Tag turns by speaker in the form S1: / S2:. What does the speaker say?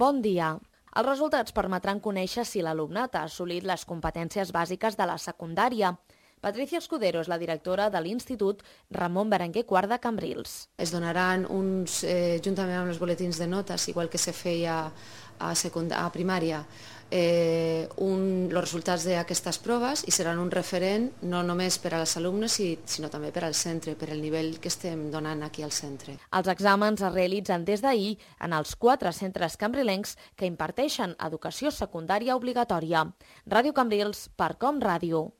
S1: bon dia. Els resultats permetran conèixer si l'alumnat ha assolit les competències bàsiques de la secundària. Patricia Escudero és la directora de l'Institut Ramon Berenguer IV de Cambrils.
S2: Es donaran juntament amb els boletins de notes, igual que se feia a primària, els resultats d'aquestes proves i seran un referent no només per als alumnes, sinó també per al centre, per al nivell que estem donant aquí al centre.
S1: Els exàmens es realitzen des d'ahir en els 4 centres cambrilencs que imparteixen educació secundària obligatòria. Ràdio Cambrils, per Com Ràdio.